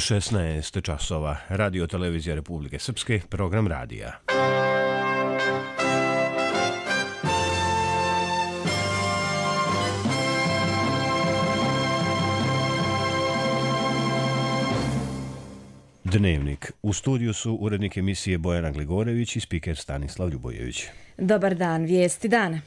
16 časova. Radio Televizija Republike Srpske, program radija. Dnevnik. U studiju su urednik emisije Bojana Gligorević i spiker Stanislav Ljubojević. Dobar dan, vijesti dana.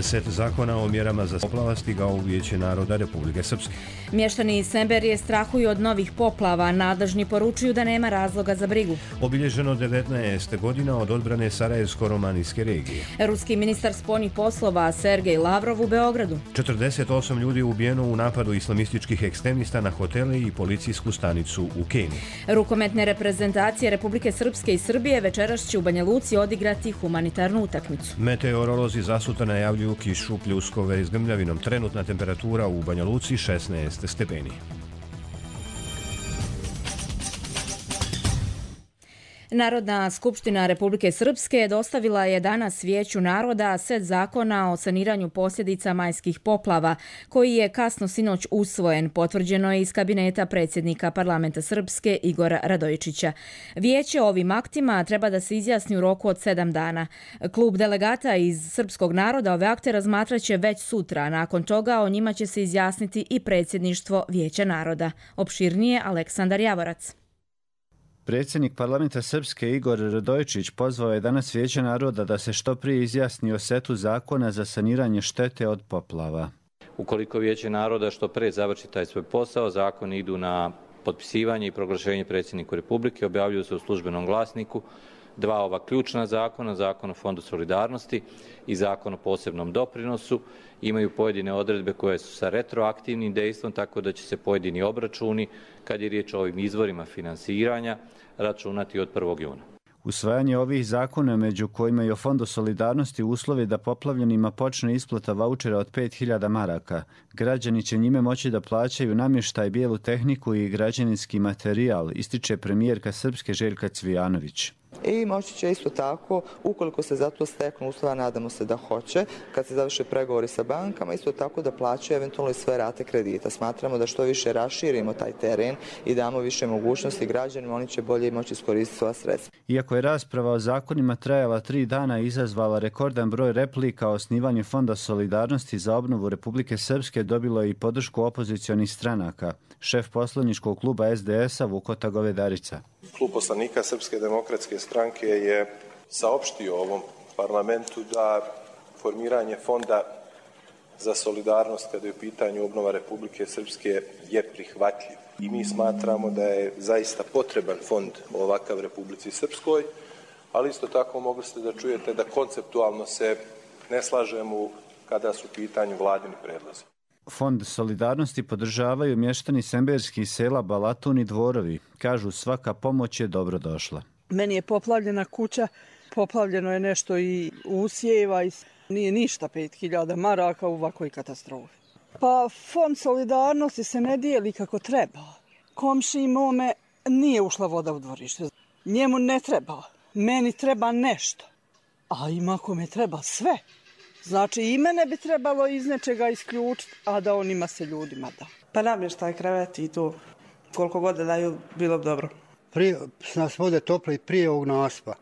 Set zakona o mjerama za poplava stigao u Vijeće naroda Republike Srpske. Mještani Semberije strahuju od novih poplava, nadležni poručuju da nema razloga za brigu. Obilježeno 19 godina od odbrane Sarajevsko-romanijske regije. Ruski ministar spoljnih poslova Sergej Lavrov u Beogradu. 48 ljudi ubijeno u napadu islamističkih ekstremista na hotele i policijsku stanicu u Keniji. Rukometne reprezentacije Republike Srpske i Srbije večeras će u Banja Luci odigrati humanitarnu utakmicu. Meteorolozi zasutra najavljuju kišu, pljuskove s grmljavinom. Trenutna temperatura u Banja Luci 16 stepeni. Narodna skupština Republike Srpske dostavila je danas Vijeću naroda set zakona o saniranju posljedica majskih poplava, koji je kasno sinoć usvojen, potvrđeno je iz kabineta predsjednika parlamenta Srpske Igora Radojičića. Vijeće ovim aktima treba da se izjasni u roku od 7 dana. Klub delegata iz srpskog naroda ove akte razmatraće već sutra, nakon toga o njima će se izjasniti i predsjedništvo Vijeća naroda. Opširnije Aleksandar Javorac. Predsjednik parlamenta Srpske Igor Radojičić pozvao je danas Vijeće naroda da se što prije izjasni o setu zakona za saniranje štete od poplava. Ukoliko Vijeće naroda što prije završi taj svoj posao, zakoni idu na potpisivanje i proglašenje predsjedniku Republike, objavljuju se u službenom glasniku dva ova ključna zakona, Zakon o Fondu solidarnosti i Zakon o posebnom doprinosu. Imaju pojedine odredbe koje su sa retroaktivnim dejstvom, tako da će se pojedini obračuni, kad je riječ o ovim izvorima finansiranja, računati od 1. juna. Usvajanje ovih zakona, među kojima je o Fondu solidarnosti uslovi da poplavljenima počne isplata vaučera od 5.000 maraka. Građani će njime moći da plaćaju namještaj, bijelu tehniku i građevinski materijal, ističe premijerka Srpske Željka Cvijanović. I moći će isto tako, ukoliko se za to steknu uslova, nadamo se da hoće, kad se završe pregovori sa bankama, isto tako da plaćaju eventualno i sve rate kredita. Smatramo da što više raširimo taj teren i damo više mogućnosti građanima, oni će bolje moći iskoristiti sva sredstva. Iako je rasprava o zakonima trajala 3 dana i izazvala rekordan broj replika, osnivanje Fonda solidarnosti za obnovu Republike Srpske dobilo je i podršku opozicionih stranaka. Šef poslaničkog kluba SDS-a Vukota Govedarica. Klub poslanika Srpske demokratske stranke je saopštio ovom parlamentu da formiranje Fonda za solidarnost kada je u pitanju obnova Republike Srpske je prihvatljiv. I mi smatramo da je zaista potreban fond ovakav Republici Srpskoj, ali isto tako mogli ste da čujete da konceptualno se ne slažemo kada su u pitanju vladini predlozi. Fond solidarnosti podržavaju mještani semberskih sela Balatun i Dvorovi. Kažu, svaka pomoć je dobro došla. Meni je poplavljena kuća, poplavljeno je nešto i usjeva i nije ništa 5.000 maraka u ovakvoj katastrofi. Pa Fond solidarnosti se ne dijeli kako treba. Komšiji mome nije ušla voda u dvorište. Njemu ne treba, meni treba nešto. A ima kome treba sve. Znači i mene bi trebalo iz nečega isključiti, a da on ima se ljudima da. Pa namještaj, krevet i to. Koliko god da daju, bilo bi dobro. Prije nas vode tople i prije ovog naspa.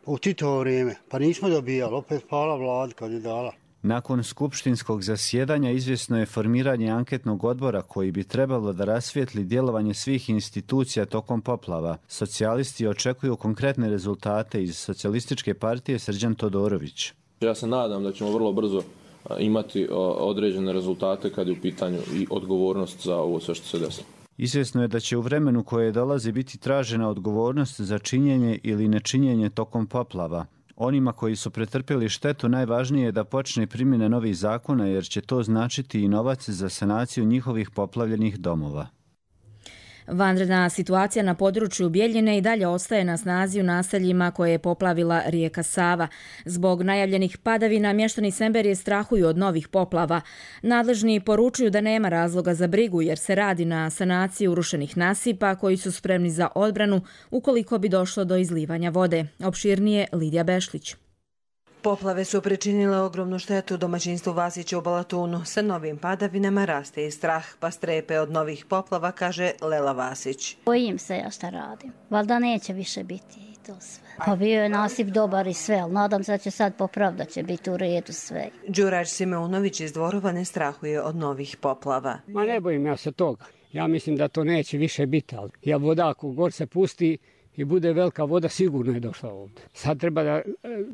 U Titovo vrijeme. Pa nismo dobijali. Opet pala vlada kad je dala. Nakon skupštinskog zasjedanja izvjesno je formiranje anketnog odbora koji bi trebalo da rasvijetli djelovanje svih institucija tokom poplava. Socijalisti očekuju konkretne rezultate iz Socijalističke partije Srđan Todorović. Ja se nadam da ćemo vrlo brzo imati određene rezultate kad je u pitanju i odgovornost za ovo sve što se desilo. Izvjesno je da će u vremenu koje dolazi biti tražena odgovornost za činjenje ili nečinjenje tokom poplava. Onima koji su pretrpjeli štetu najvažnije je da počne primjena novih zakona jer će to značiti i novac za sanaciju njihovih poplavljenih domova. Vanredna situacija na području Bijeljine i dalje ostaje na snazi u naseljima koje je poplavila rijeka Sava. Zbog najavljenih padavina mještani Semberije strahuju od novih poplava. Nadležni poručuju da nema razloga za brigu jer se radi na sanaciji urušenih nasipa koji su spremni za odbranu ukoliko bi došlo do izlivanja vode. Opširnije Lidija Bešlić. Poplave su pričinile ogromnu štetu domaćinstvu Vasića u Balatunu. Sa novim padavinama raste i strah, pa strepe od novih poplava, kaže Lela Vasić. Bojim se ja šta radim. Valjda neće više biti i to sve. Pa bio je nasip dobar i sve, ali nadam se da će sad popraviti, da će biti u redu sve. Đurađ Simeunović iz Dvorova ne strahuje od novih poplava. Ma ne bojim ja se toga. Ja mislim da to neće više biti, ali ja voda ako gor se pusti i bude velika voda, sigurno je došla ovdje. Sad treba da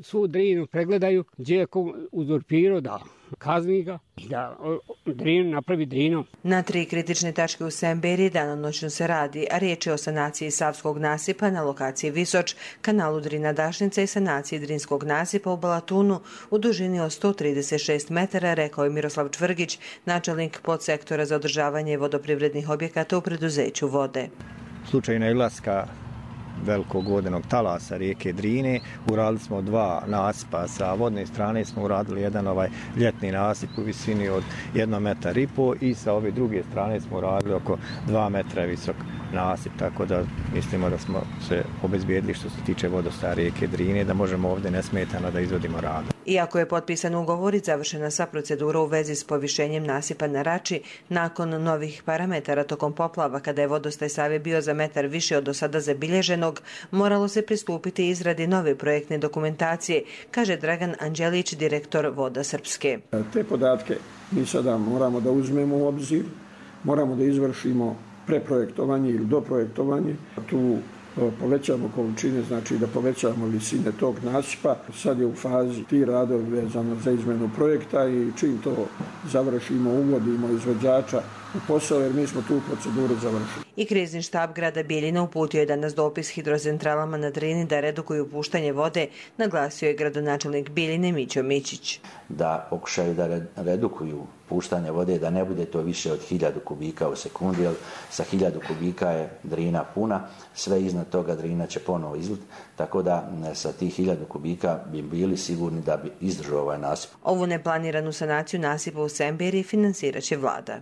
svu Drinu pregledaju, gdje je uzurpirao, da kazni ga, da Drinu napravi Drinom. Na 3 kritične tačke u Semberiji danonoćno se radi, a riječ je o sanaciji Savskog nasipa na lokaciji Visoč, kanalu Drina-Dašnica i sanaciji Drinskog nasipa u Balatunu u dužini od 136 metara, rekao je Miroslav Čvrgić, načelnik podsektora za održavanje vodoprivrednih objekata u preduzeću Vode. U slučaju nailaska velikog vodenog talasa rijeke Drine uradili smo 2 nasipa. Sa vodne strane smo uradili jedan ljetni nasip u visini od 1,5 metra i sa ove druge strane smo uradili oko 2 metra visok nasip, tako da mislimo da smo se obezbijedili što se tiče vodostaja rijeke Drine, da možemo ovdje nesmetano da izvodimo rad. Iako je potpisan ugovor i završena sva procedura u vezi s povišenjem nasipa na Rači, nakon novih parametara tokom poplava, kada je vodostaj Save bio za metar više od do sada zabilježenog, moralo se pristupiti izradi nove projektne dokumentacije, kaže Dragan Anđelić, direktor Voda Srpske. Te podatke mi sada moramo da uzmemo u obzir, moramo da izvršimo preprojektovanje ili doprojektovanje. Tu povećamo količine, znači da povećamo visine tog nasipa. Sad je u fazi ti radovi vezano za izmenu projekta i čim to završimo, uvodimo izvođača u posao, jer mi smo tu proceduru završili. I krizni štab grada Bijeljina uputio je danas dopis hidrocentralama na Drini da redukuju puštanje vode, naglasio je gradonačelnik Bijeljine Mićo Mićić. Da pokušaju da redukuju puštanje vode, da ne bude to više od 1000 kubika u sekundi, jer sa 1000 kubika je Drina puna, sve iznad toga Drina će ponovo izlit, tako da sa tih 1000 kubika bi bili sigurni da bi izdržao ovaj nasip. Ovu neplaniranu sanaciju nasipa u Semberiji financirat će vlada.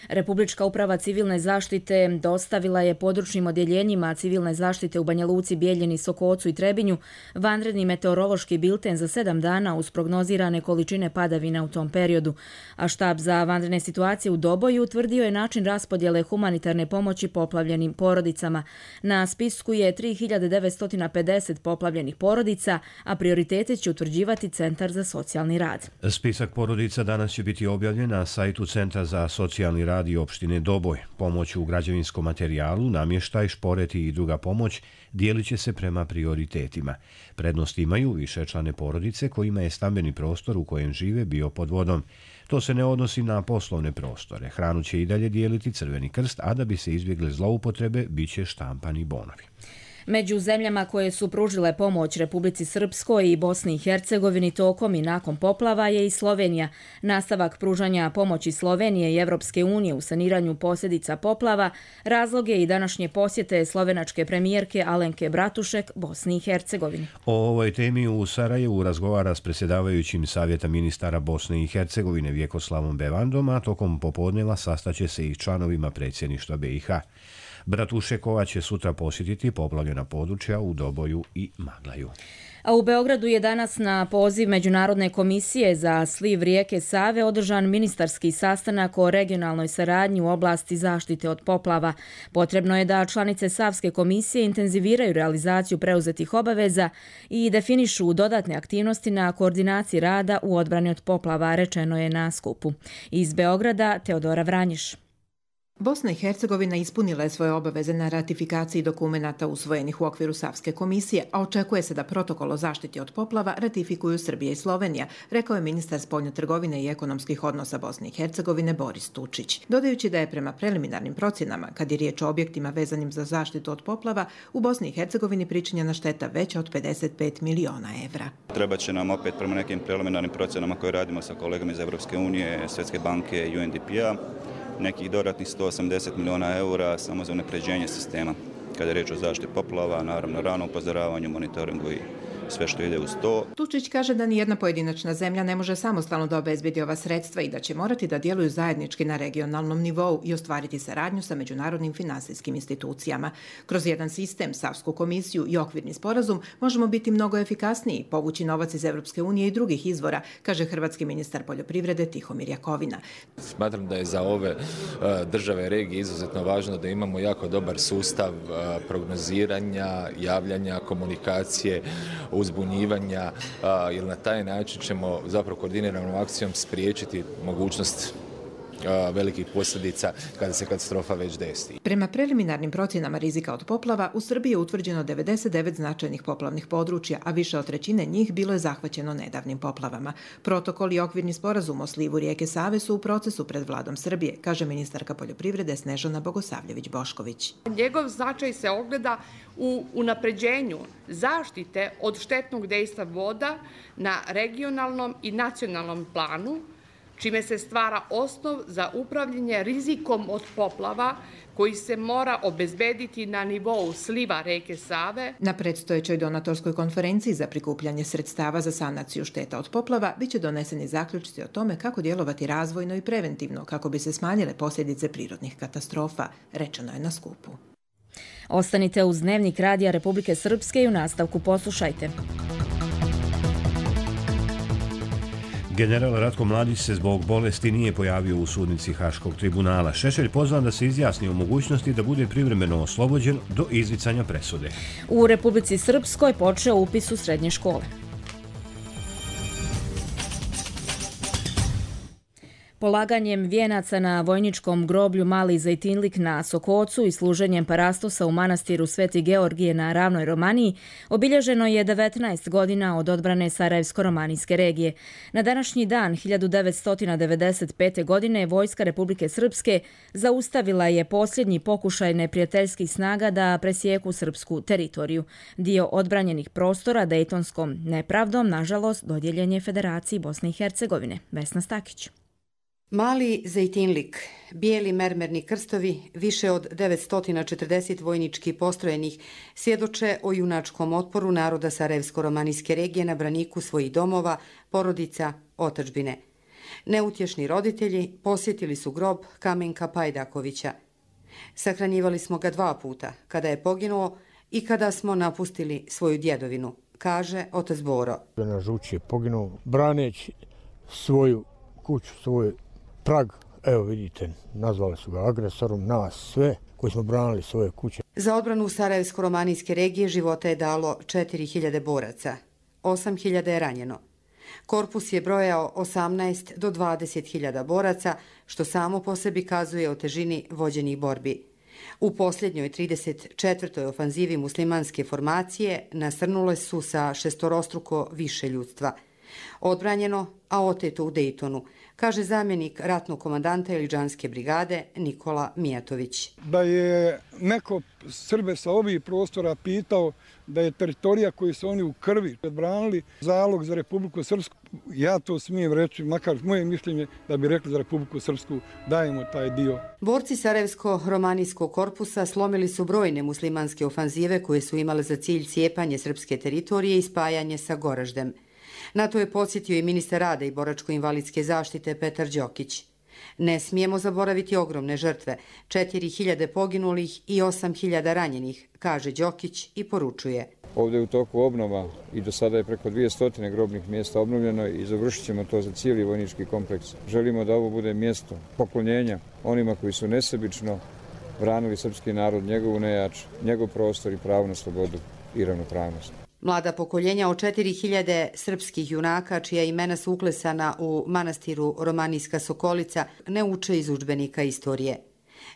Republička uprava civilne zaštite dostavila je područnim odjeljenjima civilne zaštite u Banja Luci, Bijeljini, Sokocu i Trebinju vanredni meteorološki bilten za 7 dana uz prognozirane količine padavina u tom periodu. A štab za vanredne situacije u Doboju utvrdio je način raspodjele humanitarne pomoći poplavljenim porodicama. Na spisku je 3950 poplavljenih porodica, a prioritete će utvrđivati Centar za socijalni rad. Spisak porodica danas će biti objavljen na sajtu Centra za socijalni rad i opštine Doboj. Pomoć u građevinskom materijalu, namještaj, šporeti i druga pomoć dijelit će se prema prioritetima. Prednost imaju višečlane porodice kojima je stambeni prostor u kojem žive bio pod vodom. To se ne odnosi na poslovne prostore. Hranu će i dalje dijeliti Crveni krst, a da bi se izbjegle zloupotrebe, bit će štampani bonovi. Među zemljama koje su pružile pomoć Republici Srpskoj i Bosni i Hercegovini tokom i nakon poplava je i Slovenija. Nastavak pružanja pomoći Slovenije i Evropske unije u saniranju posljedica poplava razlog je i današnje posjete slovenačke premijerke Alenke Bratušek Bosni i Hercegovini. O ovoj temi u Sarajevu razgovara s predsjedavajućim Savjeta ministara Bosne i Hercegovine Vjekoslavom Bevandom, a tokom popodneva sastaće se i članovima predsjedništva BiH. Bratušekova će sutra posjetiti poplavljena područja u Doboju i Maglaju. A u Beogradu je danas na poziv Međunarodne komisije za sliv rijeke Save održan ministarski sastanak o regionalnoj saradnji u oblasti zaštite od poplava. Potrebno je da članice Savske komisije intenziviraju realizaciju preuzetih obaveza i definišu dodatne aktivnosti na koordinaciji rada u odbrani od poplava, rečeno je na skupu. Iz Beograda Teodora Vranješ. Bosna i Hercegovina ispunila je svoje obaveze na ratifikaciji dokumenata usvojenih u okviru Savske komisije, a očekuje se da protokol o zaštiti od poplava ratifikuju Srbija i Slovenija, rekao je ministar spoljne trgovine i ekonomskih odnosa Bosne i Hercegovine Boris Tučić. Dodajući da je prema preliminarnim procjenama, kad je riječ o objektima vezanim za zaštitu od poplava, u Bosni i Hercegovini pričinjena šteta veća od 55 miliona evra. Treba će nam opet prema nekim preliminarnim procjenama koje radimo sa kolegama iz Evropske unije, Svjetske banke i UNDP-a, nekih dodatnih 180 miliona eura samo za unapređenje sistema. Kada je riječ o zaštiti poplava, naravno rano upozoravanju, monitoringu i sve što ide uz to. Tučić kaže da nijedna pojedinačna zemlja ne može samostalno da obezbedi ova sredstva i da će morati da djeluju zajednički na regionalnom nivou i ostvariti saradnju sa međunarodnim finansijskim institucijama. Kroz jedan sistem, Savsku komisiju i okvirni sporazum možemo biti mnogo efikasniji, povući novac iz Evropske unije i drugih izvora, kaže hrvatski ministar poljoprivrede Tihomir Jakovina. Smatram da je za ove države regije izuzetno važno da imamo jako dobar sustav prognoziranja, javljanja, komunikacije, uzbunjivanja, jer na taj način ćemo zapravo koordiniranom akcijom spriječiti mogućnost velikih posljedica kada se katastrofa već desi. Prema preliminarnim procjenama rizika od poplava, u Srbiji je utvrđeno 99 značajnih poplavnih područja, a više od trećine njih bilo je zahvaćeno nedavnim poplavama. Protokol i okvirni sporazum o slivu rijeke Save su u procesu pred vladom Srbije, kaže ministarka poljoprivrede Snežana Bogosavljević-Bošković. Njegov značaj se ogleda u unapređenju zaštite od štetnog dejstva voda na regionalnom i nacionalnom planu, čime se stvara osnov za upravljanje rizikom od poplava koji se mora obezbediti na nivou sliva reke Save. Na predstojećoj donatorskoj konferenciji za prikupljanje sredstava za sanaciju šteta od poplava biće doneseni zaključci o tome kako djelovati razvojno i preventivno kako bi se smanjile posljedice prirodnih katastrofa, rečeno je na skupu. Ostanite uz Dnevnik Radija Republike Srpske i u nastavku poslušajte. General Ratko Mladić se zbog bolesti nije pojavio u sudnici Haškog tribunala. Šešelj pozvan da se izjasni o mogućnosti da bude privremeno oslobođen do izricanja presude. U Republici Srpskoj počeo upis u srednje škole. Polaganjem vijenaca na vojničkom groblju Mali Zejtinlik na Sokocu i služenjem parastosa u manastiru Sveti Georgije na Ravnoj Romaniji obilježeno je 19 godina od odbrane Sarajevsko-romanijske regije. Na današnji dan 1995. godine Vojska Republike Srpske zaustavila je posljednji pokušaj neprijateljskih snaga da presijeku srpsku teritoriju. Dio odbranjenih prostora dejtonskom nepravdom, nažalost, dodijeljen je Federaciji Bosne i Hercegovine. Vesna Stakić. Mali Zejtinlik, bijeli mermerni krstovi, više od 940 vojnički postrojenih, svjedoče o junačkom otporu naroda Sarajevsko-romanijske regije na braniku svojih domova, porodica, otadžbine. Neutješni roditelji posjetili su grob Kamenka Pajdakovića. Sahranjivali smo ga 2 puta, kada je poginuo i kada smo napustili svoju djedovinu, kaže otac Boro. Na žuči je poginuo braneći svoju kuću, svoj prag, evo vidite, nazvali su ga agresorom, nas sve koji smo branili svoje kuće. Za odbranu Sarajevsko-romanijske regije života je dalo 4000 boraca, 8000 je ranjeno. Korpus je brojao 18 do 20.000 boraca, što samo po sebi kazuje o težini vođenih borbi. U posljednjoj 34. ofanzivi muslimanske formacije nasrnule su sa šestorostruko više ljudstva. Odbranjeno, a oteto u Dejtonu, kaže zamjenik ratnog komandanta Ilidžanske brigade Nikola Mijatović. Da je neko Srbe sa ovih prostora pitao da je teritorija koju su oni u krvi branili zalog za Republiku Srpsku, ja to smijem reći, makar moje mišljenje da bi rekli za Republiku Srpsku dajemo taj dio. Borci Sarajevsko-romanijskog korpusa slomili su brojne muslimanske ofanzive koje su imale za cilj cijepanje srpske teritorije i spajanje sa Goraždem. Na to je podsjetio i ministar rada i boračko-invalidske zaštite Petar Đokić. Ne smijemo zaboraviti ogromne žrtve, 4000 poginulih i 8000 ranjenih, kaže Đokić i poručuje. Ovdje je u toku obnova i do sada je preko 200 grobnih mjesta obnovljeno i završit ćemo to za cijeli vojnički kompleks. Želimo da ovo bude mjesto poklonjenja onima koji su nesebično branili srpski narod, njegovu nejač, njegov prostor i pravo na slobodu i ravnopravnost. Mlada pokoljenja od 4000 srpskih junaka, čija imena su uklesana u manastiru Romanijska Sokolica, ne uče iz udžbenika istorije.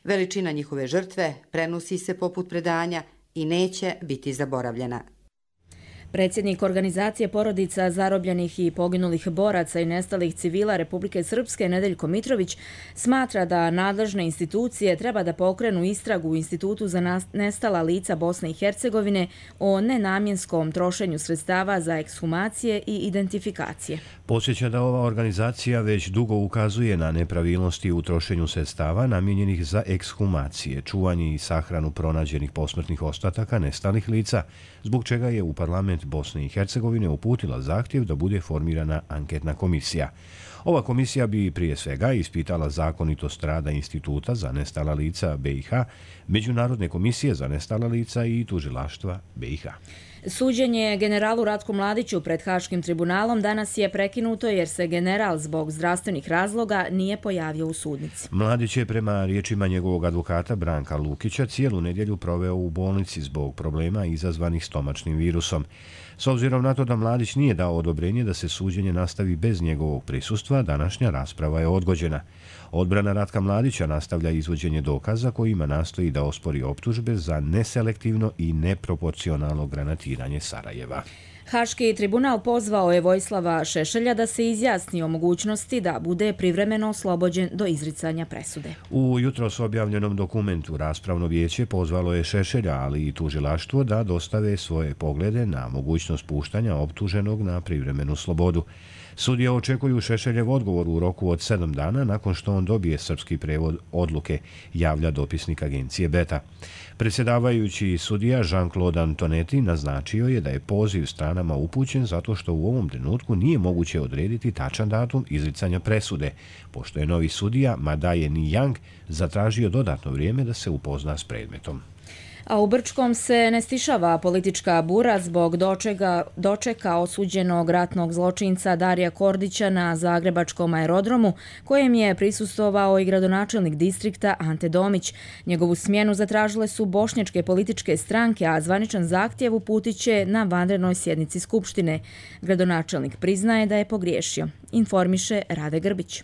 Veličina njihove žrtve prenosi se poput predanja i neće biti zaboravljena. Predsjednik organizacije porodica zarobljenih i poginulih boraca i nestalih civila Republike Srpske Nedeljko Mitrović smatra da nadležne institucije treba da pokrenu istragu u Institutu za nestala lica Bosne i Hercegovine o nenamjenskom trošenju sredstava za ekshumacije i identifikacije. Podsjeća da ova organizacija već dugo ukazuje na nepravilnosti u trošenju sredstava namijenjenih za ekshumacije, čuvanje i sahranu pronađenih posmrtnih ostataka nestalih lica, zbog čega je u parlamentu parlament Bosne i Hercegovine uputila zahtjev da bude formirana anketna komisija. Ova komisija bi prije svega ispitala zakonitost rada Instituta za nestala lica BiH, Međunarodne komisije za nestala lica i tužilaštva BiH. Suđenje generalu Ratku Mladiću pred Haškim tribunalom danas je prekinuto jer se general zbog zdravstvenih razloga nije pojavio u sudnici. Mladić je prema riječima njegovog advokata Branka Lukića cijelu nedjelju proveo u bolnici zbog problema izazvanih stomačnim virusom. S obzirom na to da Mladić nije dao odobrenje da se suđenje nastavi bez njegovog prisustva, današnja rasprava je odgođena. Odbrana Ratka Mladića nastavlja izvođenje dokaza kojima nastoji da ospori optužbe za neselektivno i neproporcionalno granatiranje Sarajeva. Haški tribunal pozvao je Vojislava Šešelja da se izjasni o mogućnosti da bude privremeno oslobođen do izricanja presude. U jutros objavljenom dokumentu raspravno vijeće pozvalo je Šešelja, ali i tužilaštvo da dostave svoje poglede na mogućnost puštanja optuženog na privremenu slobodu. Sudije očekuju Šešeljev odgovor u roku od 7 dana nakon što on dobije srpski prevod odluke, javlja dopisnik agencije Beta. Predsjedavajući sudija Jean-Claude Antonetti naznačio je da je poziv stranama upućen zato što u ovom trenutku nije moguće odrediti tačan datum izricanja presude, pošto je novi sudija Madaje Nijang zatražio dodatno vrijeme da se upozna s predmetom. A u Brčkom se ne stišava politička bura zbog dočeka osuđenog ratnog zločinca Darija Kordića na zagrebačkom aerodromu, kojem je prisustvovao i gradonačelnik distrikta Ante Domić. Njegovu smjenu zatražile su bošnjačke političke stranke, a zvaničan zahtjev uputit će na vanrednoj sjednici Skupštine. Gradonačelnik priznaje da je pogriješio, informiše Rade Grbić.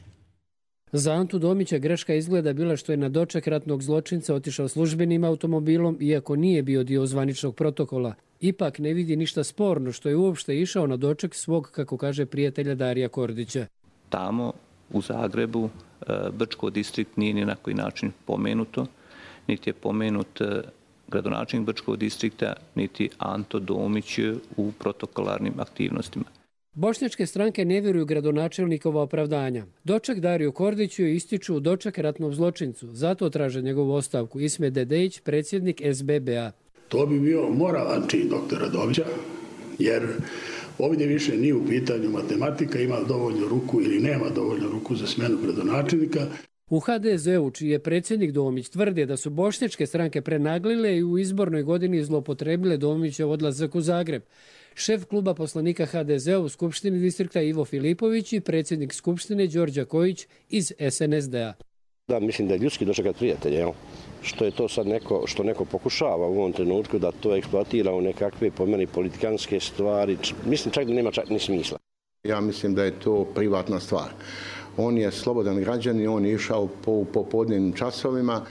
Za Antu Domića greška izgleda bila što je na doček ratnog zločinca otišao službenim automobilom, iako nije bio dio zvaničnog protokola. Ipak ne vidi ništa sporno što je uopšte išao na doček svog, kako kaže, prijatelja Darija Kordića. Tamo u Zagrebu Brčko distrikt nije ni na koji način pomenuto, niti je pomenut gradonačelnik Brčkog distrikta, niti Anto Domić u protokolarnim aktivnostima. Bošnjačke stranke ne vjeruju gradonačelnikova opravdanja. Doček Dariju Kordiću ističu doček ratnom zločincu, zato traže njegovu ostavku. Ismet Dedejić, predsjednik SBB-a. To bi bio moralan čin doktora Domića, jer ovdje više nije u pitanju matematika, ima dovoljno ruku ili nema dovoljno ruku za smjenu gradonačelnika. U HDZ-u, čiji je predsjednik Domić, tvrde da su bošnjačke stranke prenaglile i u izbornoj godini zloupotrebile Domićev odlazak u Zagreb. Šef kluba poslanika HDZ-a u Skupštini distrikta Ivo Filipović i predsjednik Skupštine Đorđa Kojić iz SNSD-a. Da, mislim da je ljudski dočekat prijatelje, što je to sad što neko pokušava u ovom trenutku da to eksploatira u nekakve po meni politikanske stvari. Mislim čak da nema čak ni smisla. Ja mislim da je to privatna stvar. On je slobodan građanin, on je išao po popodnevnim časovima.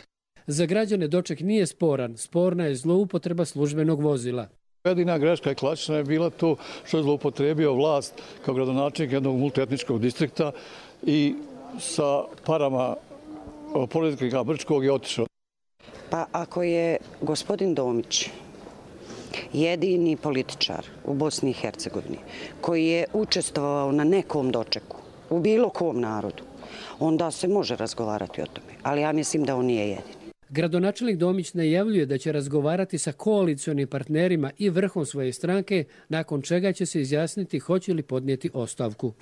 Za građane doček nije sporan, sporna je zloupotreba službenog vozila. Jedina greška je klasična je bila to što je zloupotrebio vlast kao gradonačelnik jednog multietničkog distrikta i sa parama politika Brčkog je otišao. Pa ako je gospodin Domić jedini političar u Bosni i Hercegovini koji je učestvovao na nekom dočeku u bilo kom narodu, onda se može razgovarati o tome, ali ja mislim da on nije jedini. Gradonačelnik Domić najavljuje da će razgovarati sa koalicionim partnerima i vrhom svoje stranke, nakon čega će se izjasniti hoće li podnijeti ostavku.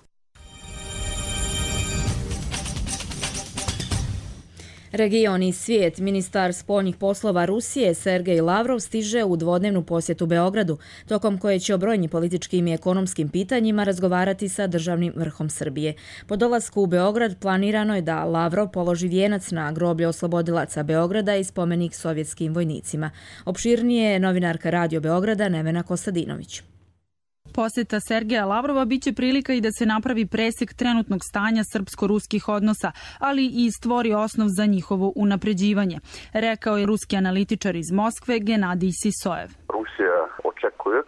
Region i svijet. Ministar spoljnih poslova Rusije Sergej Lavrov stiže u dvodnevnu posjetu Beogradu, tokom koje će o brojnim političkim i ekonomskim pitanjima razgovarati sa državnim vrhom Srbije. Po dolasku u Beograd planirano je da Lavrov položi vijenac na groblje oslobodilaca Beograda i spomenik sovjetskim vojnicima. Opširnije je novinarka Radio Beograda Nevena Kostadinović. Posjeta Sergeja Lavrova biće prilika i da se napravi presjek trenutnog stanja srpsko-ruskih odnosa, ali i stvori osnov za njihovo unapređivanje, rekao je ruski analitičar iz Moskve Genadij Sisojev. Rusija očekuje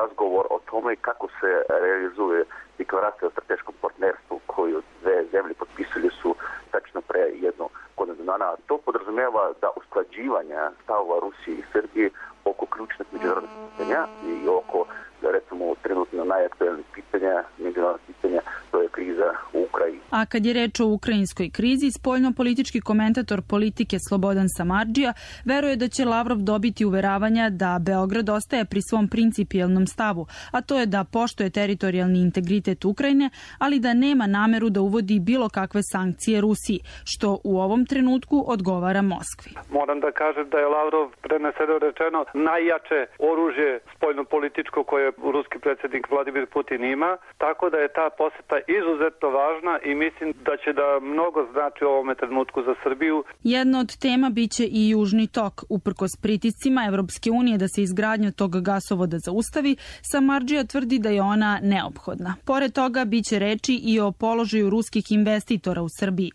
razgovor o tome kako se realizuje deklaracija o strateškom partnerstvu koju dve zemlje potpisali su tačno pre jednu godinu dana. To podrazumijeva da usklađivanja stavova Rusije i Srbije oko ključnih međunarodnih pitanja i oko, da recimo, trenutno najaktualnih pitanja, međunarodnih pitanja, to je kriza u Ukrajini. A kad je reč o ukrajinskoj krizi, spoljno-politički komentator politike Slobodan Samardžija veruje da će Lavrov dobiti uveravanja da Beograd ostaje pri svom principijelnom stavu, a to je da poštuje teritorijalni integritet Ukrajine, ali da nema nameru da uvodi bilo kakve sankcije Rusiji, što u ovom trenutku odgovara Moskvi. Moram da kažem da je Lavrov, preneseno rečeno, najjače oružje spoljno-političko koje ruski predsjednik Vladimir Putin ima, tako da je ta poseta izuzetno važna i mislim da će da mnogo znači u ovome trenutku za Srbiju. Jedna od tema biće i Južni tok. Uprkos pritiscima Evropske unije da se izgradnja tog gasovoda zaustavi, Samardžija tvrdi da je ona neophodna. Pored toga biće reči i o položaju ruskih investitora u Srbiji.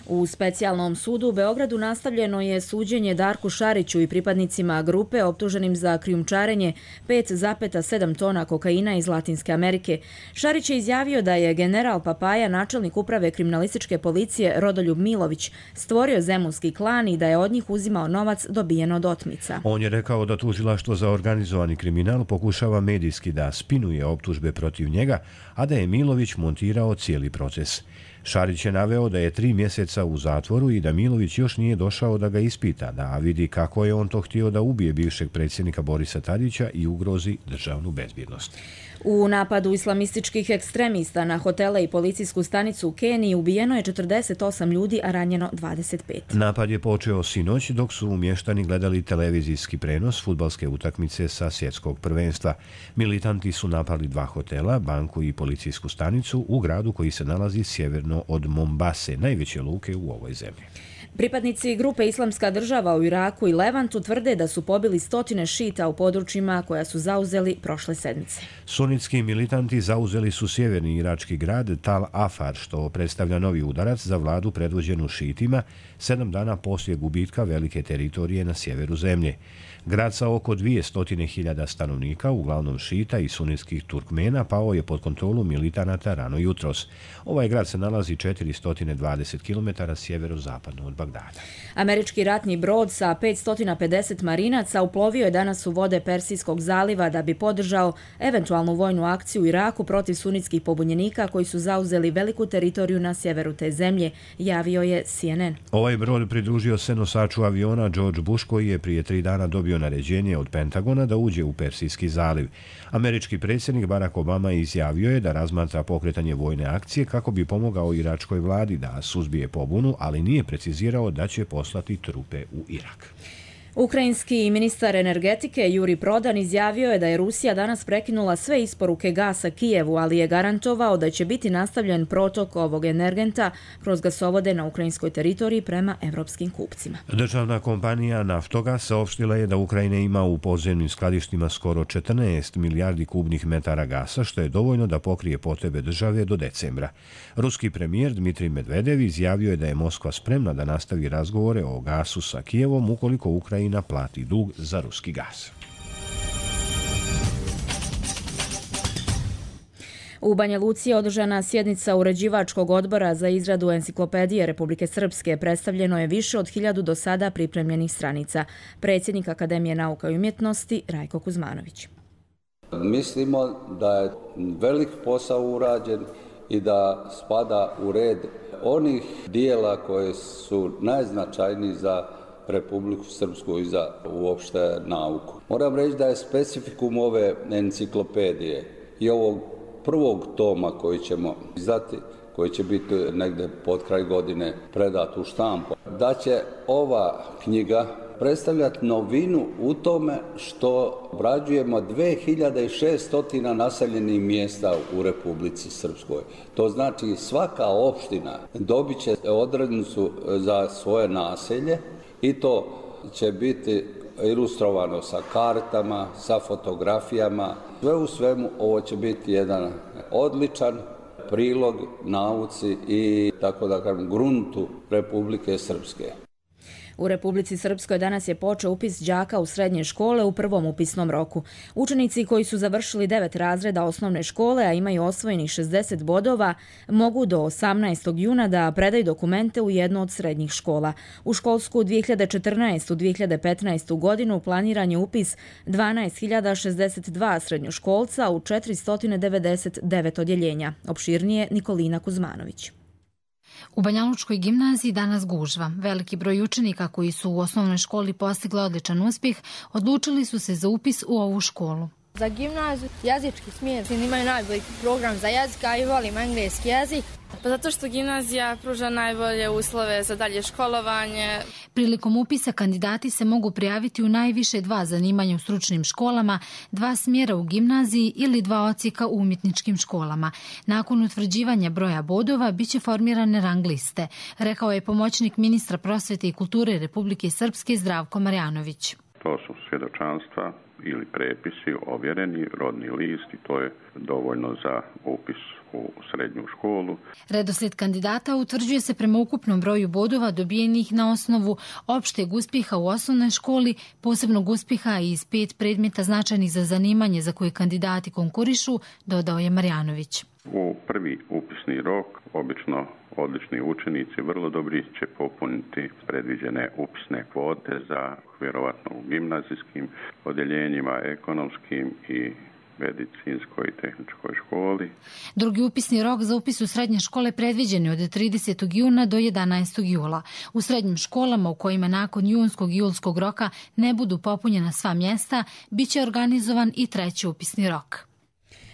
U specijalnom sudu u Beogradu nastavljeno je suđenje Darku Šariću i pripadnicima grupe optuženim za krijumčarenje 5,7 tona kokaina iz Latinske Amerike. Šarić je izjavio da je general Papaja, načelnik uprave kriminalističke policije Rodoljub Milović, stvorio zemunski klan i da je od njih uzimao novac dobijen od otmica. On je rekao da tužilaštvo za organizovani kriminal pokušava medijski da spinuje optužbe protiv njega, a da je Milović montirao cijeli proces. Šarić je naveo da je 3 mjeseca u zatvoru i da Milović još nije došao da ga ispita, da vidi kako je on to htio da ubije bivšeg predsjednika Borisa Tadića i ugrozi državnu bezbjednost. U napadu islamističkih ekstremista na hotele i policijsku stanicu u Keniji ubijeno je 48 ljudi, a ranjeno 25. Napad je počeo sinoć dok su mještani gledali televizijski prenos fudbalske utakmice sa svjetskog prvenstva. Militanti su napali 2 hotela, banku i policijsku stanicu u gradu koji se nalazi sjeverno od Mombase, najveće luke u ovoj zemlji. Pripadnici grupe Islamska država u Iraku i Levantu tvrde da su pobili 100 šita u područjima koja su zauzeli prošle sedmice. Sunitski militanti zauzeli su sjeverni irački grad Tal Afar, što predstavlja novi udarac za vladu predvođenu šitima 7 dana poslije gubitka velike teritorije na sjeveru zemlje. Grad sa oko 200.000 stanovnika, uglavnom šita i sunitskih Turkmena, pao je pod kontrolu militanata rano jutros. Ovaj grad se nalazi 420 km sjeverozapadno od Bagdada. Američki ratni brod sa 550 marinaca uplovio je danas u vode Persijskog zaliva da bi podržao eventualnu vojnu akciju u Iraku protiv sunitskih pobunjenika koji su zauzeli veliku teritoriju na sjeveru te zemlje, javio je CNN. Ovaj brod pridružio se nosaču aviona George Bush koji je prije 3 dana dobio naređenje od Pentagona da uđe u Persijski zaliv. Američki predsjednik Barack Obama izjavio je da razmatra pokretanje vojne akcije kako bi pomogao iračkoj vladi da suzbije pobunu, ali nije precizirao da će poslati trupe u Irak. Ukrajinski ministar energetike Juri Prodan izjavio je da je Rusija danas prekinula sve isporuke gasa Kijevu, ali je garantovao da će biti nastavljen protok ovog energenta kroz gasovode na ukrajinskoj teritoriji prema evropskim kupcima. Državna kompanija Naftogas saopštila je da Ukrajina ima u podzemnim skladištima skoro 14 milijardi kubnih metara gasa, što je dovoljno da pokrije potrebe države do decembra. Ruski premijer Dmitrij Medvedev izjavio je da je Moskva spremna da nastavi razgovore o gasu sa Kijevom ukoliko Ukrajina plati dug za ruski gas. U Banja Luci je održana sjednica uređivačkog odbora za izradu enciklopedije Republike Srpske. Predstavljeno je više od 1000 do sada pripremljenih stranica. Predsjednik Akademije nauka i umjetnosti Rajko Kuzmanović. Mislimo da je velik posao urađen i da spada u red onih dijela koje su najznačajniji za Republiku Srpsku i za uopšte nauku. Moram reći da je specifikum ove enciklopedije i ovog prvog toma koji ćemo izdati, koji će biti negde pod kraj godine predat u štampu, da će ova knjiga predstavljati novinu u tome što obrađujemo 2600 naseljenih mjesta u Republici Srpskoj. To znači svaka opština dobit će odrednicu za svoje naselje i to će biti ilustrovano sa kartama, sa fotografijama. Sve u svemu ovo će biti jedan odličan prilog nauci i tako da kažem gruntu Republike Srpske. U Republici Srpskoj danas je počeo upis đaka u srednje škole u prvom upisnom roku. Učenici koji su završili 9 razreda osnovne škole, a imaju osvojenih 60 bodova, mogu do 18. juna da predaju dokumente u jednu od srednjih škola. U školsku 2014-2015. godinu planiran je upis 12.062 srednjoškolca u 499 odjeljenja. Opširnije Nikolina Kuzmanović. U Banjalučkoj gimnaziji danas gužva. Veliki broj učenika koji su u osnovnoj školi postigli odličan uspjeh odlučili su se za upis u ovu školu. Za gimnaziju jezički smjer imaju najbolji program za jezik, a i volim engleski jezik. Pa zato što gimnazija pruža najbolje uslove za dalje školovanje. Prilikom upisa kandidati se mogu prijaviti u najviše 2 zanimanja u stručnim školama, 2 smjera u gimnaziji ili 2 odsjeka u umjetničkim školama. Nakon utvrđivanja broja bodova biće formirane rang liste, rekao je pomoćnik ministra prosvete i kulture Republike Srpske Zdravko Marjanović. To su svjedočanstva ili prepisi, ovjereni, rodni list i to je dovoljno za upis u srednju školu. Redoslijed kandidata utvrđuje se prema ukupnom broju bodova dobijenih na osnovu opšteg uspjeha u osnovnoj školi, posebnog uspjeha iz 5 predmeta značajnih za zanimanje za koje kandidati konkurišu, dodao je Marjanović. U prvi upisni rok obično odlični učenici vrlo dobri će popuniti predviđene upisne kvote za vjerovatno u gimnazijskim odjeljenjima, ekonomskim i medicinskoj i tehničkoj školi. Drugi upisni rok za upis u srednje škole predviđen je od 30. juna do 11. jula. U srednjim školama u kojima nakon junskog i julskog roka ne budu popunjena sva mjesta, bit će organizovan i treći upisni rok.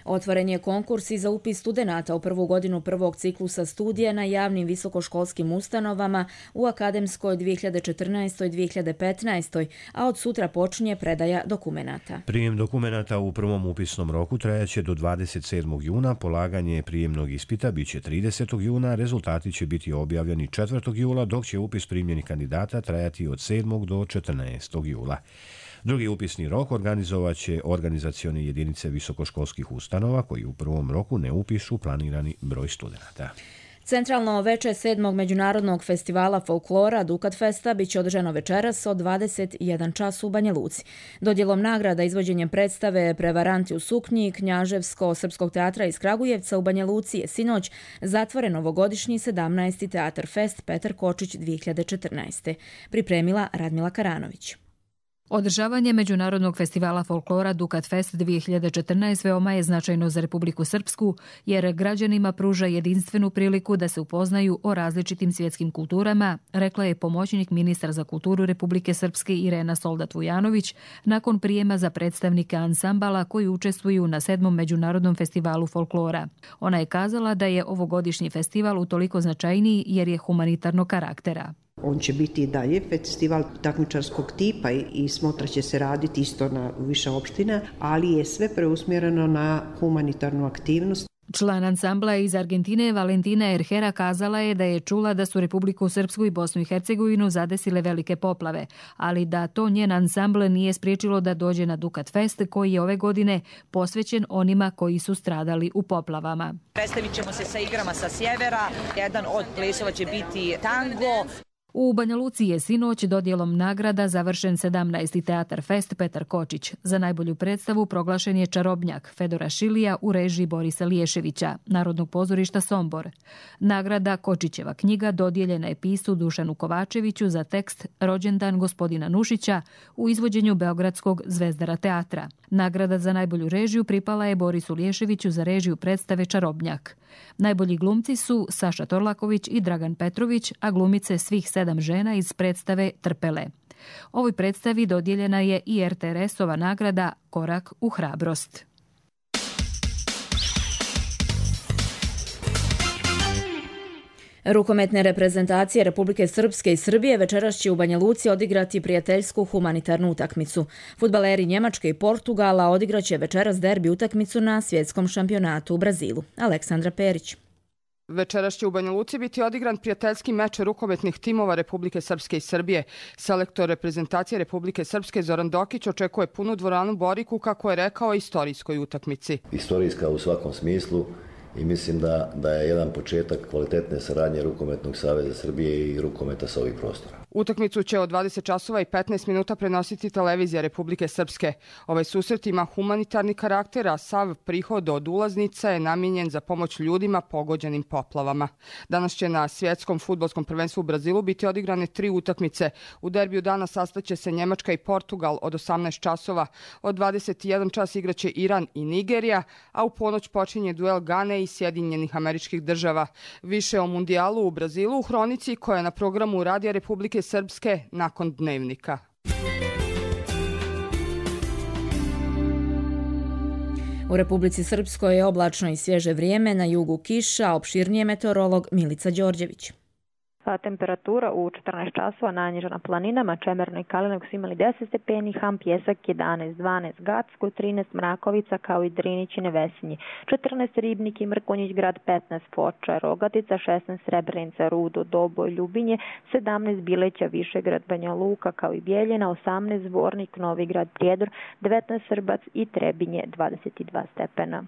Otvoren je konkurs i za upis studenata u prvu godinu prvog ciklusa studija na javnim visokoškolskim ustanovama u akademskoj 2014-2015, a od sutra počinje predaja dokumenata. Prijem dokumenata u prvom upisnom roku trajaće do 27. juna, polaganje prijemnog ispita biće 30. juna, rezultati će biti objavljeni 4. jula, dok će upis primljenih kandidata trajati od 7. do 14. jula. Drugi upisni rok organizovat će organizacione jedinice visokoškolskih ustanova koji u prvom roku ne upišu planirani broj studenata. Centralno veče 7. međunarodnog festivala folklora Dukat Festa biće održano večeras od 21 čas u Banja Luci. Dodjelom nagrada izvođenjem predstave Prevaranti u suknji Knjaževsko-srpskog teatra iz Kragujevca u Banja Luci je sinoć zatvoren ovogodišnji 17. teatar Fest Petar Kočić 2014. Pripremila Radmila Karanović. Održavanje Međunarodnog festivala folklora Dukat Fest 2014 veoma je značajno za Republiku Srpsku, jer građanima pruža jedinstvenu priliku da se upoznaju o različitim svjetskim kulturama, rekla je pomoćnik ministra za kulturu Republike Srpske Irena Soldat-Vujanović nakon prijema za predstavnike ansambala koji učestvuju na 7. Međunarodnom festivalu folklora. Ona je kazala da je ovogodišnji festival utoliko značajniji jer je humanitarnog karaktera. On će biti i dalje festival takmičarskog tipa i smotra će se raditi isto na više opština, ali je sve preusmjereno na humanitarnu aktivnost. Član ansambla iz Argentine Valentina Erhera kazala je da je čula da su Republiku Srpsku i Bosnu i Hercegovinu zadesile velike poplave, ali da to njen ansambl nije spriječilo da dođe na Dukat Fest koji je ove godine posvećen onima koji su stradali u poplavama. Predstavit ćemo se sa igrama sa sjevera, jedan od plesova će biti tango. U Banja Luci je sinoć dodjelom nagrada završen 17. teatar Fest Petar Kočić. Za najbolju predstavu proglašen je Čarobnjak Fedora Šilija u režiji Borisa Liješevića, Narodnog pozorišta Sombor. Nagrada Kočićeva knjiga dodijeljena je pisu Dušanu Kovačeviću za tekst Rođendan gospodina Nušića u izvođenju Beogradskog Zvezdara teatra. Nagrada za najbolju režiju pripala je Borisu Liješeviću za režiju predstave Čarobnjak. Najbolji glumci su Saša Torlaković i Dragan Petrović, a glumice svih 7 žena iz predstave Trpele. Ovoj predstavi dodijeljena je i RTRS-ova nagrada Korak u hrabrost. Rukometne reprezentacije Republike Srpske i Srbije večeras će u Banja Luci odigrati prijateljsku humanitarnu utakmicu. Fudbaleri Njemačke i Portugala odigraće večeras derbi utakmicu na svjetskom šampionatu u Brazilu. Aleksandra Perić. Večeras će u Banja Luci biti odigran prijateljski meč rukometnih timova Republike Srpske i Srbije. Selektor reprezentacije Republike Srpske Zoran Dokić očekuje punu dvoranu Boriku, kako je rekao, istorijskoj utakmici. Istorijska u svakom smislu i mislim da je jedan početak kvalitetne saradnje Rukometnog saveza Srbije i rukometa sa ovih prostora. Utakmicu će od 20 časova i 15 minuta prenositi televizija Republike Srpske. Ovaj susret ima humanitarni karakter, a sav prihod od ulaznica je namijenjen za pomoć ljudima pogođenim poplavama. Danas će na svjetskom fudbalskom prvenstvu u Brazilu biti odigrane 3 utakmice. U derbiju dana sastaće se Njemačka i Portugal od 18 časova. Od 21 čas igraće Iran i Nigerija, a u ponoć počinje duel Gane i Sjedinjenih Američkih Država. Više o mundijalu u Brazilu u hronici koja je na programu Radija Republike Srpske nakon dnevnika. U Republici Srpskoj je oblačno i svježe vrijeme, na jugu kiša, opširnije meteorolog Milica Đorđević. Temperatura u 14 časova najniža na planinama, Čemerno i Kalinog su imali 10 stepeni, Ham, Pjesak 11, 12, Gacko 13, Mrakovica kao i Drinić i Nevesinji, 14 Ribnik i Mrkonjić grad, 15 Foča, Rogatica, 16 Srebrenica, Rudo, Doboj, Ljubinje, 17 Bileća, Višegrad, Banja Luka kao i Bijeljina, 18 Zvornik, Novigrad, Prijedor, 19 Srbac i Trebinje, 22 stepena.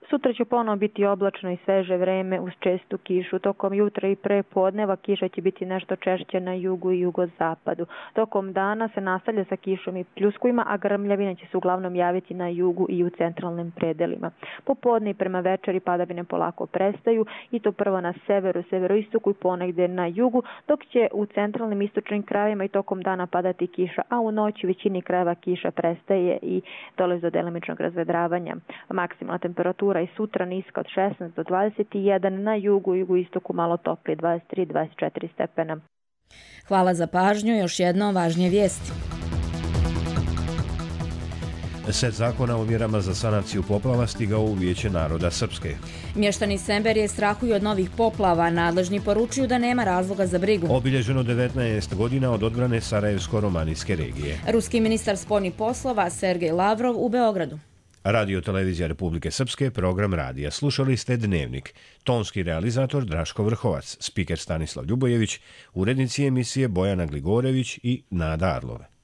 Sutra će ponovo biti oblačno i sveže vreme uz čestu kišu. Tokom jutra i pre podneva kiša će biti nešto češće na jugu i jugozapadu. Tokom dana se nastavlja sa kišom i pljuskovima, a grmljavine će se uglavnom javiti na jugu i u centralnim predelima. Popodne i prema večeri padavine polako prestaju i to prvo na severu, severoistoku i ponegde na jugu, dok će u centralnim istočnim krajevima i tokom dana padati kiša, a u noći većini krajeva kiša prestaje i dolazi do delimičnog razvedravanja. Maksimalna temperatura i sutra niska od 16 do 21, na jugu i jugoistoku malo toplije 23-24 stepena. Hvala za pažnju, još jednom važnije vijesti. Set zakona o mjerama za sanaciju poplava stigao u Vijeće naroda Srpske. Mještani Semberije strahuju od novih poplava, nadležni poručuju da nema razloga za brigu. Obilježeno 19 godina od odbrane Sarajevsko-romanijske regije. Ruski ministar spoljnih poslova Sergej Lavrov u Beogradu. Radio Televizija Republike Srpske, program radija. Slušali ste Dnevnik. Tonski realizator Draško Vrhovac, spiker Stanislav Ljubojević, urednici emisije Bojana Gligorević i Nada Arlove.